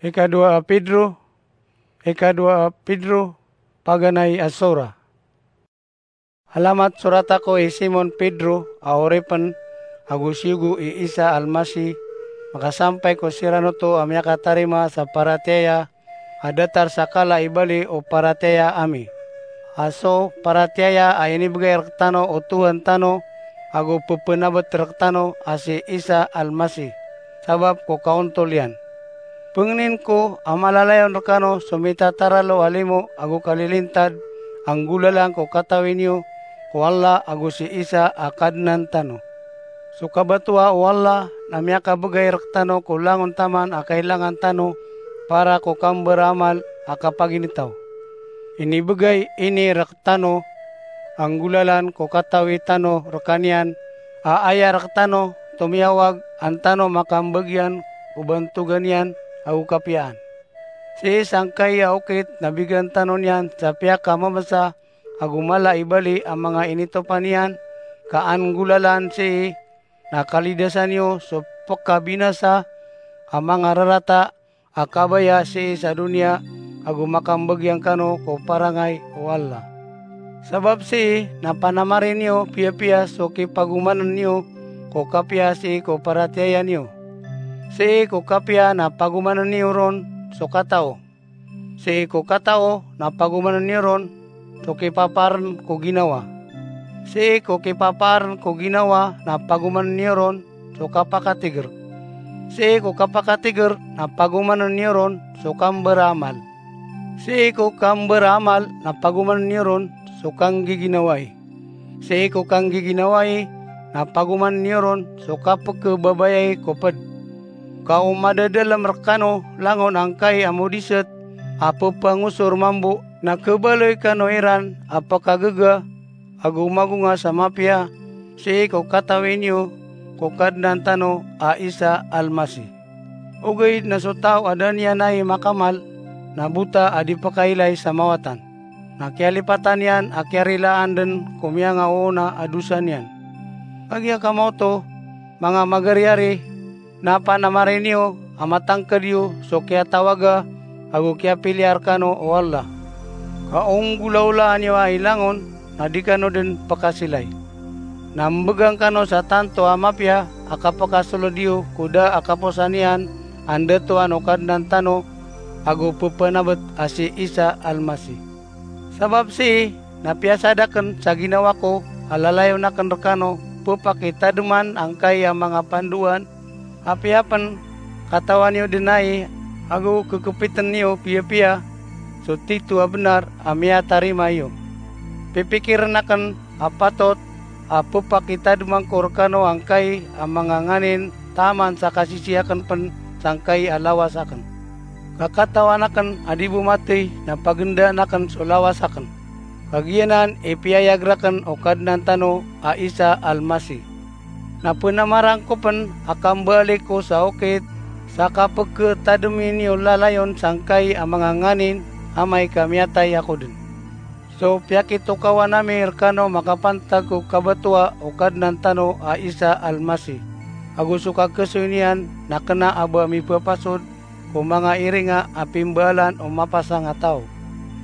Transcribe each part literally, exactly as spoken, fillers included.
Ikadowa a Pedro, ikadowa a Pedro, paganay a sora. Alamat sorata ko i Simon Pedro a oripn ago siyogo i Isa Almasi, makasampay ko siran oto a miyakatarima sa paratiyaya a datar sa kala i bali o paratiyaya ami. A so paratiyaya a inibgay rktano o Tuhan tano ago pphanabet rktano a si Isa Almasi, sabap ko kaontol iyan. Pngnin ko a malalayon rkano so mitataralo a limo ago kalilintad a nggolalan ko katawi niyo ko Allah ago si Isa a Kadnan tano. So kabatoa o Allah na miyakabgay rktano ko langon taman a kailangan tano para ko kambaramal a kapaginitaw. Inibgay ini rktano a nggolalan ko katawi tano rkaniyan a aya rktano tomiyawag an tano makambagian ko bantogan iyan ago kapiyaan. Sii sangkai a okit na bigan tano niyan sa piyakamamasa ago mala i bali a manga initopan iyan, ka an nggolalan sii na kalidasan iyo so pkabinasa a manga rarata a kabaya sii sa doniya ago makambagian kano ko parangay o Allah. Sabap sii na panamari niyo piyapiya so kipagomanan iyo ko kapiya sii ko paratiyaya niyo. Sii ko kapiya na pagomanan iyo ron so katao. Sii ko katao na pagomanan iyo ron so kipapaarn ko ginawa. Sii ko kipapaarn ko ginawa na pagomanan iyo ron so kapakatigr. Sii ko kapakatigr na pagomanan iyo ron so kambaraamal. Sii ko kambaraamal na pagomanan iyo ron so kanggiginawai. Sii ko kanggiginawai na pagomanan iyo ron so kapkhababayai ko pd. Ka o madadalm rkano langon angkai a modiset a pphangosor mambo na khabaloy kano iran a pkhagaga ago magonga sa mapiya sii ko katawi niyo ko Kadnan tano a Isa Almasi. Ogaid na so taw a da niyan ai makamal na bota a di pkhailay sa mawatan, na kiyalipatan iyan a kiyarilaan dn ko miyangaoona a dosa niyan. Kagiya kamaoto, manga magariyari, na panamari niyo a matangkd iyo so kiyatawaga ago kiyapiliya rkano o Allah. Ka o nggolaolaan iyo ai langon na di kano dn pkasilay. Na mbgan kano sa tanto a mapiya a kapkasold iyo ko da a kaposan iyan a ndatoan o Kadnan tano ago pphanabet a si Isa Almasi. Sabap sii na piyasad akn sa ginawa ko a lalayon akn rkano pphakitadman angkai a manga pandoan, apiya pn katawan iyo dn ai ago kkpitn iyo piyapiya so tito a bnar a miyatarima iyo. Pipikirn akn a patot a pphakitadman ko rkano angkai a manga nganin taman sa kasisii akn pn sangkai a lawas akn. Ka katawan akn a di bo mathay na pagnda akn so lawas akn. Kagiya nan i piyayag rakn o Kadnan tano a Isa Almasi. Na pnamaran ko pn a kambaali ko sa okit sa kapkhatadomi niyo lalayon sangkai a manga nganin amay ka miyatay ako dn. So piyakitokawan ami rkano makapantag ko kabatoa o Kadnan tano a Isa Almasi, ago so kakhasoy niyan na kna a ba mipapasod ko manga iringa a pimbaalan o mapasang a taw.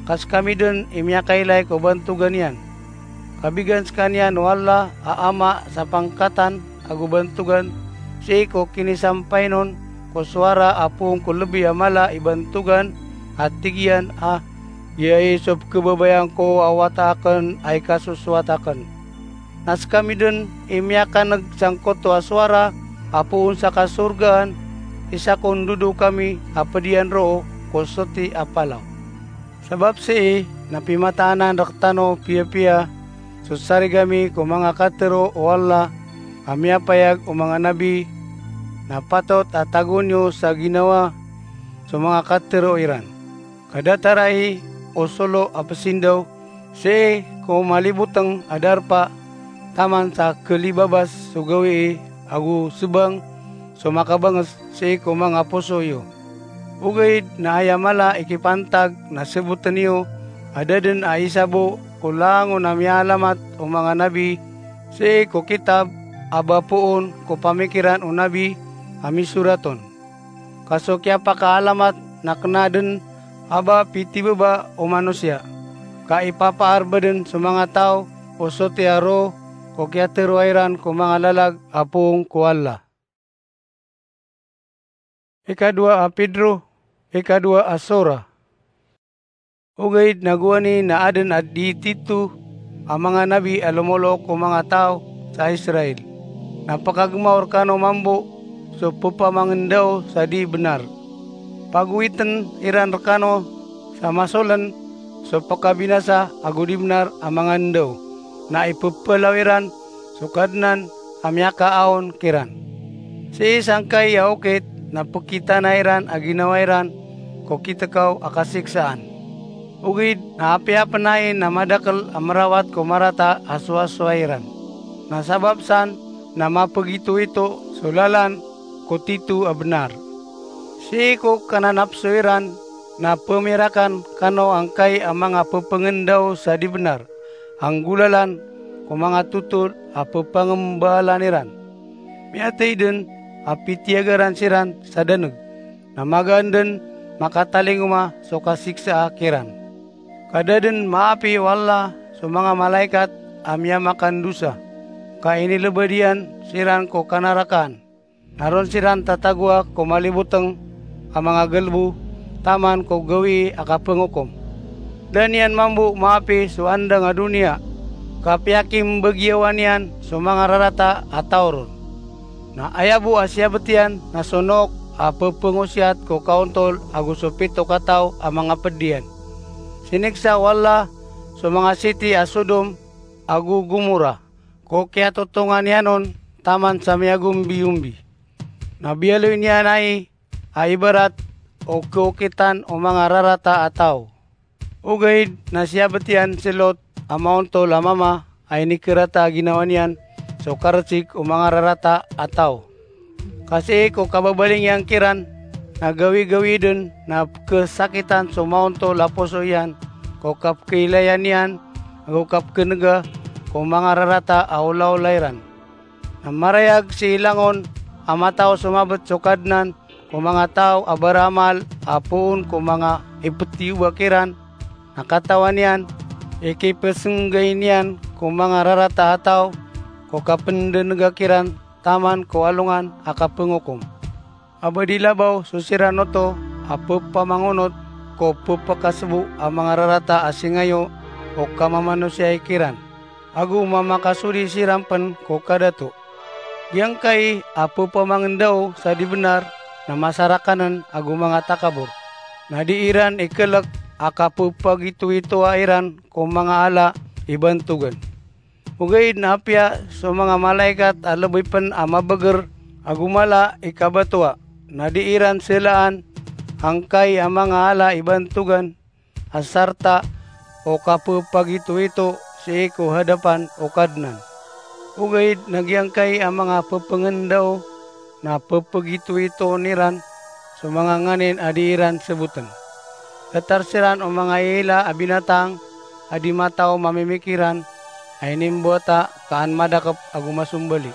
Ka skami dn i miyakailay ko bantogan iyan. Kabigan skaniyan o Allah a Ama sa pangkatan ago bantogan, sii ko kinisampay on ko sowara a poon ko lbi a mala i bantogan a tig iyan a, "Giyai so pkhababayaan ko a wata akn a ikasosowat akn." Na skami dn i miyakan'g sangkoto a sowara a poon sa kasorgaan, isa ko ndodo kami a pd iyan roo ko soti a palaw. Sabap sii na pimataanan rktano piyapiya so sarig ami ko manga katharo o Allah a miyapayag o manga nabi, na patot a tagoon iyo sa ginawa so manga katharo iran. Ka datar ai o solo a psindaw, sii ko malibotng a darpa taman sa khalibabas so gawii ago sbang so makabangs sii ko manga poso iyo. Ogaid na aya mala i kipantag na sbotn iyo a da dn a isa bo ko langon a miyaalamat o manga nabi sii ko kitab a ba poon ko pamikiran o nabi a misorat on. Ka so kiyapakaalamat na kena den a ba pitibaba o manosiya, ka ipapaarba den so manga taw o sotiya roo ko kiyateroa iran ko manga lalag a poon ko Allah. Ikadowa a Pedro, ikadowa a sora. Ogaid na gowani na aden a di tito a manga nabi a lomolook ko manga taw sa Israel, na pakagemaw rekano mambo so pepamangendao sa di benar. Pagowiten iran rekano sa masolen so pekabinasa ago di benar a manga ndao, na ipepelaw iran so Kadnan a miyakaaon kiran. Sii sangkai a okit na pekitana iran a ginawa iran ko kitekaw a kasiksaan. Ogaid na apiya pen ai na madakel a merawat ko marata a sowasowa iran, na sabap san na mapegitoito so lalan ko tito a benar. Sii ko kananapso iran na pemirakan kano angkai a manga pepengendao sa di benar, a nggolalan ko manga totol a pepangembaalan iran. Miyatey den a pitiyagaran siran sa daneg, na magaan den makatalingoma so kasiksaa kiran. Ka da den maapi o Allah so manga malaikat a miyamakandosa, ka inilebed iyan siran ko kanarakaan. Na ron siran tatagoa ko maliboteng a manga galbo taman ko gawii a kapengokom. Da niyan mambo maapi so andang a doniya, ka piyakimbagiyawa niyan so manga rarata a taw ron. Na aya bo a siyabet iyan na so Noak a pepengosiyat ko kaontol ago so pito kataw a manga ped iyan. Siniksa o Allah so manga siti a Sodom ago Gomora ko kiyatotongan iyan on taman sa miyagombiyombi. Na biyaloy niyan ai a ibarat o keokitan o manga rarata a taw. Ogaid na siyabet iyan si Lot a maontol a mama a inikerata a ginawa niyan so karesik o manga rarata a taw. Ka sii ko kababaling iyan kiran na gawigawii den na pekesakitan so maontol a poso iyan ko kapekeilayan iyan ago kapekenega ko manga rarata a olaola iran. Na marayag sii langon a mataw so mabet so Kadnan ko manga taw a baraamal a poon ko manga ipetiyoba kiran, na katawan iyan i kipesenggai niyan ko manga rarata a taw ko kapendenega kiran taman ko alongan a kapengokom. A ba di labaw so siran oto a pepamangonot ko pepakasebo a manga rarata a singayo o kamamanosiyai kiran, ago mamakasodi siran pen ko kadato. Giyangkai a pepamangendao sa di benar na masarakanen ago manga takabor, na di iran ikelek a kapepagitoitoa iran ko manga ala i bantogan. Ogaid na apiya so manga malaikat a lebay pen a mabeger ago mala i kabatoa, na di iran selaan angkai a manga ala i bantogan a sarta o kapepagitoito sii ko hadapan o Kadnan. Ogaid na giyangkai a manga pepengendao na pepegitoitoon iran so manga nganin a di iran seboten. Datar siran o manga iila a binatang a di mataw mamimikiran a inimbowata ka an madakep ago masombali.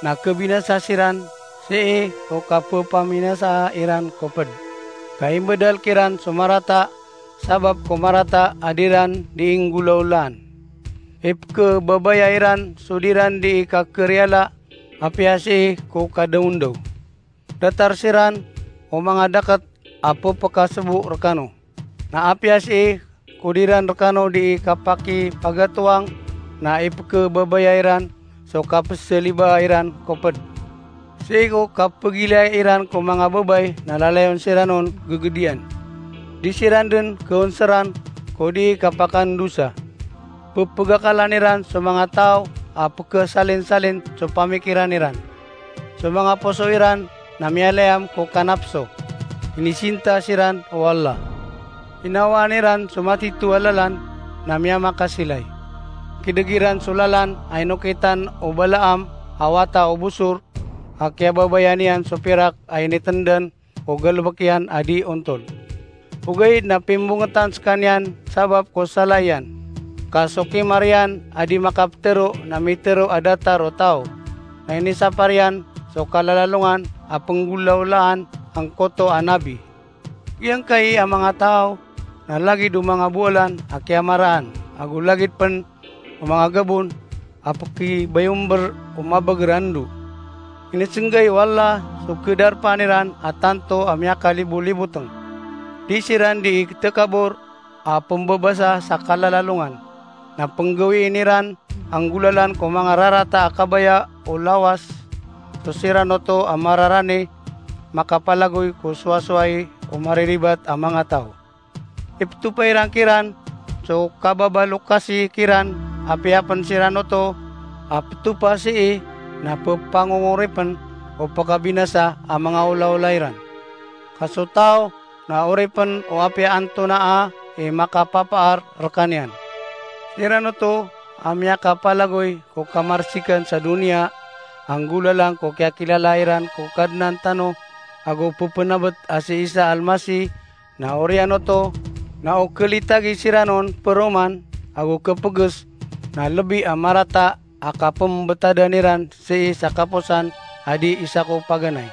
Na kebinasa siran sii ko kapepaminasaa iran ko ped. Ka imbedal kiran so marata sabap ko marata a di ran di inggolaolaan. Ipekebabaya iran so di ran di ikakeriyala apiya sii ko kadaondaw. Datar siran o manga daket a pepekasebo rekano. Na apiya sii ko di ran rekano di ikapakipagatoang, na ipekebabaya iran so kapeselibaa iran ko ped. Sii ko kapegilaya iran ko manga babay na lalayon siran on gegediyan. Di siran den keonseran ko di kapakandosa. Pepegakalan iran so manga taw a pekesalinsalin so pamikiran iran. So manga poso iran na miyalayam ko kanapso. Inisinta siran o Allah. Inawaan iran so matito a lalan na miyamakasilay. Kideg iran so lalan a inokitan o Balaam a wata o Bosor a kiyababayaan iyan so pirak a initendan o galebek iyan a di ontol. Ogaid na pimbongetan sekaniyan sabap ko sala iyan. Ka so kimar iyan a di makapetero na mitero a datar o taw. Na inisapar iyan so kalalalongan a penggolaolaan angkoto a nabi. Giyangkai a manga taw na lagid o manga bowalan a kiyamaraan, ago lagid pen o manga gabon a pekibayomber o mabeger a ndo. Inisenggai o Allah so kedarpaan iran a tanto a miyakaliboliboteng. Di siran di itekabor a pembebasa sa kalalalongan, na penggawiin iran a nggolalan ko manga rarata a kabaya o lawas so siran oto a mararani makapalagoy ko sowasowai o mariribat a manga taw. Ipetopa iran kiran so kababalokasi kiran, apiya pen siran oto a petopa sii na pepangongoripen o pekabinasa a manga olaola iran. Ka so taw na oripen o apiya antonaa i makapapaar rekaniyan. Siran oto a miyakapalagoy ko kamarsikan sa doniya a nggolalan ko kiyakilala iran ko Kadnan tano ago pepenabet a si Isa Almasih, na oriyan oto na o kelitagi siran on peroman ago kepeges na lebi a marata a kapembetadan iran sii sa kaposan a di isa ko paganay.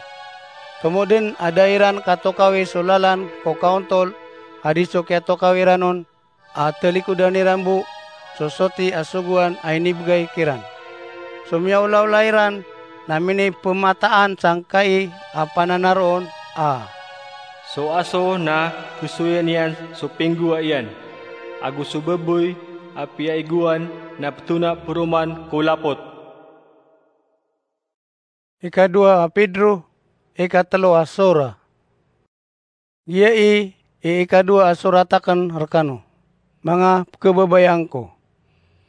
Tomo den a da iran katokawi so lalan ko kaontol a di so kiyatokawi iran on a talikodan iran bo so soti a sogoan a inibegay kiran. So miyaolaola iran na minipemataan sangkai a pananaroon a, "So aso na kesoyan iyan so pinggowa iyan, ago so baboy a piyaigowan na petona peroman ko lapot." Ikadowa a Pedro, ikatelo a sora. Giya i, i ikadowa a sorat aken rekano, manga pekebabayaan ko.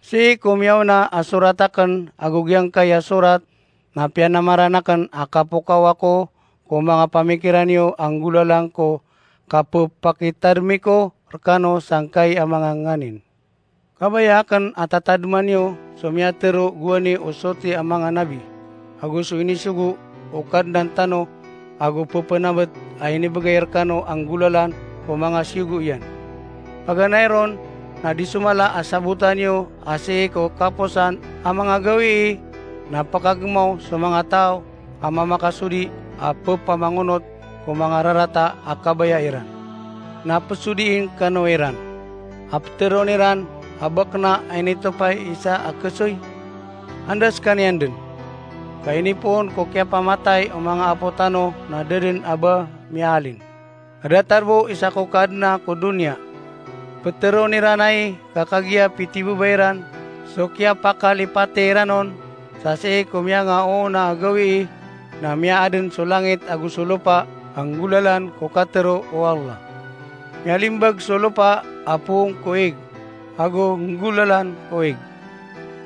Sii ko miyaona a sorat aken ago giyangkai a sorat na piyanamaran aken a kapokaw ako ko manga pamikiran iyo a nggolalan ko kapepakitademi ko rekano sangkai a manga nganin. Kabaya aken a tatademan iyo so miyatero gowani o soti a manga nabi, ago so inisogo o Kadnan tano ago pepenabet a inibegay rekano a nggolalan ko manga siyogo iyan. Paganay ron na di so mala a sabotan iyo a sii ko kaposan a manga gawii na pekagemaw so manga taw a mamakasodi a pepamangonot ko manga rarata a kabaya iran. Na pesodiin kano iran a peteroon iran a ba kena a initopa i isa a kesoy? Anda sekaniyan den? Ka inipoon ko kiyapamatay o manga apo tano na da den a ba miyaalin. A datar bo isa ko kadna ko doniya. Peteroon iran ai ka kagiya pitibebay iran so kiyapakalipati iran on, sa sii ko miyangaoona a gawii na miyaaden so langit ago so lopa a nggolalan ko katero o Allah. Miyalimbag so lopa a poon ko ig, ago nggolalan ko ig.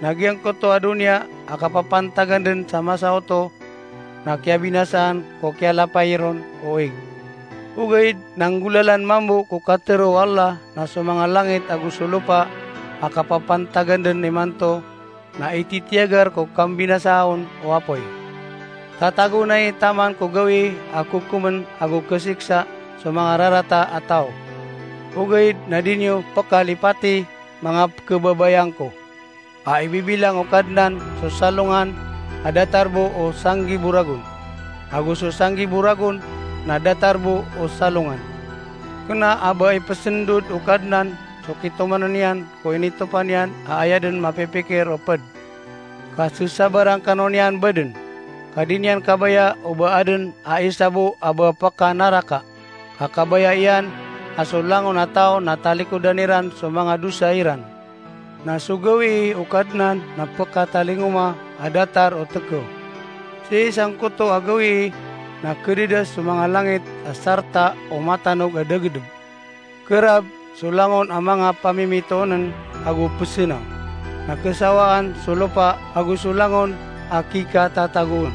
Na giyangkoto a doniya a kapapantagan den sa masa oto na kiyabinasaan ko kiyalapay ron o ig. Ogaid na nggolalan mambo ko katero o Allah na so manga langit ago so lopa a kapapantagan den imanto na ititiyagar ko kambinasaon o apoy. Tatagoon ai taman ko gawii a kokomen ago kasiksa so manga rarata a taw. Ogaid na di niyo pekalipati, manga pekebabayaan ko, a ibibilang o Kadnan so salongan a datar bo o sanggibo ragon, ago so sanggibo ragon na datar bo o salongan. Kena a ba ipesendod o Kadnan so kitomanen iyan ko initopa niyan a aya den mapipikir o ped. Ka sesabaran kano niyan baden, ka di niyan kabaya o ba aden a isa bo a ba pekanaraka. Ka kabaya iyan a so langon a taw na talikodan iran so manga dosa iran. Na so gawii o Kadnan na pekatalingoma a datar o tekew. Sii sangkoto a gawii na kededas so manga langit a sarta o matanog a dagedeb. Kerab so langon a manga pamimitoonen ago pesenaw. Na kesawaan so lopa ago so langon a kikatatagoon.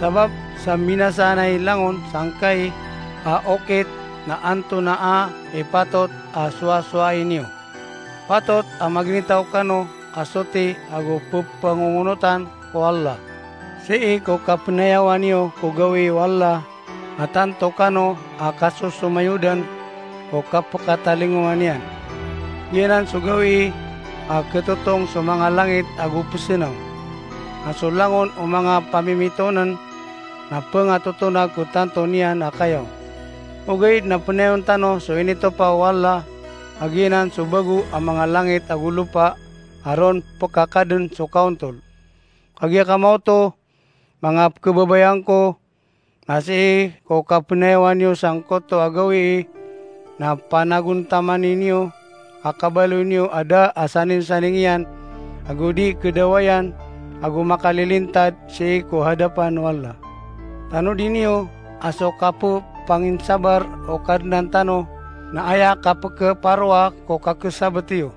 Sabap sa mbinasaan ai langon sangkai a okit na antonaa i patot a sowasowai niyo. Patot a maginitaw kano a soti ago pepangongonotan ko Allah. Sii ko kapenayawa niyo ko gawii o Allah, a tanto kano a kasosomayodan ko kapekatalingoma niyan. Giyanan so gawii a ketotong so manga langit ago pesenaw. A so langon o manga pamimitoonen na pngatotonag ko tanto niyan a kayaw. Ogaid na pnayawn tano so initopa o Allah, a giyanan so bago a manga langit ago lopa, a ron pkakadn so kaontol. Kagiya kamaoto, manga pkhababayaan ko, na sii ko kapnayawan iyo sangkoto a gawii, na panagontamani niyo a kabaloy niyo a da a saningsaning iyan, ago di khadawayan, ago makalilintad sii ko hadapan o Allah. Tanodi niyo a so kappanginsabar o Kadnan tano na aya kapkhaparoa ko kakhasabt iyo.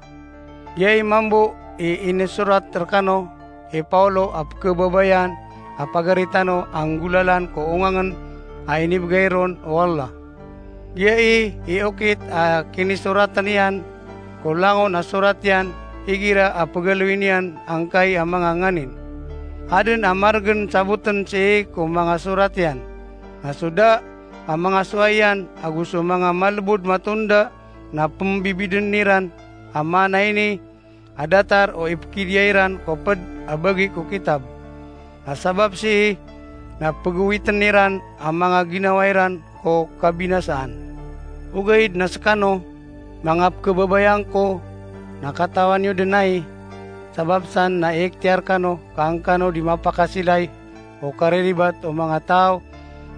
Giyai mambo i inisorat rkano i Paulo a pkhababayaan a pagari tano a nggolalan ko ongangn a inibgay ron o Allah. Giyai i okit a kinisoratn iyan ko langon a sorat iyan igira a pgaloy niyan angkai a manga nganin. Adn a margn sabotn sii ko manga sorat iyan. Na so da a manga sowai iyan ago so manga malbod matonda na pmbibidn iran a maana ini a datar o ipkidiyai ran ko pd a bagi ko kitab. Na sabap sii na pgowitn iran a manga ginawa iran ko kabinasaan. Ogaid na skano, manga pkhababayaan ko, na katawan iyo dn ai, sabap san na ikhtiyar kano ka an kano di mapakasilay o kariribat o manga taw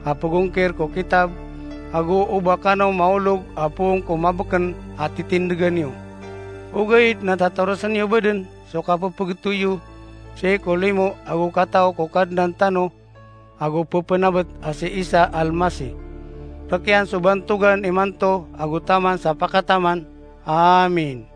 a pgongkir ko kitab, ago o ba kano maolog a poon ko mabkn a titindgan iyo. Ogaid na tatarosan iyo badn so kapphagtoy iyo sii ko limo ago kataw ko Kadnan tano ago ppnabt a si Isa Al-Masih. Rk iyan so bantogan imanto ago taman sa pakataman. Amin.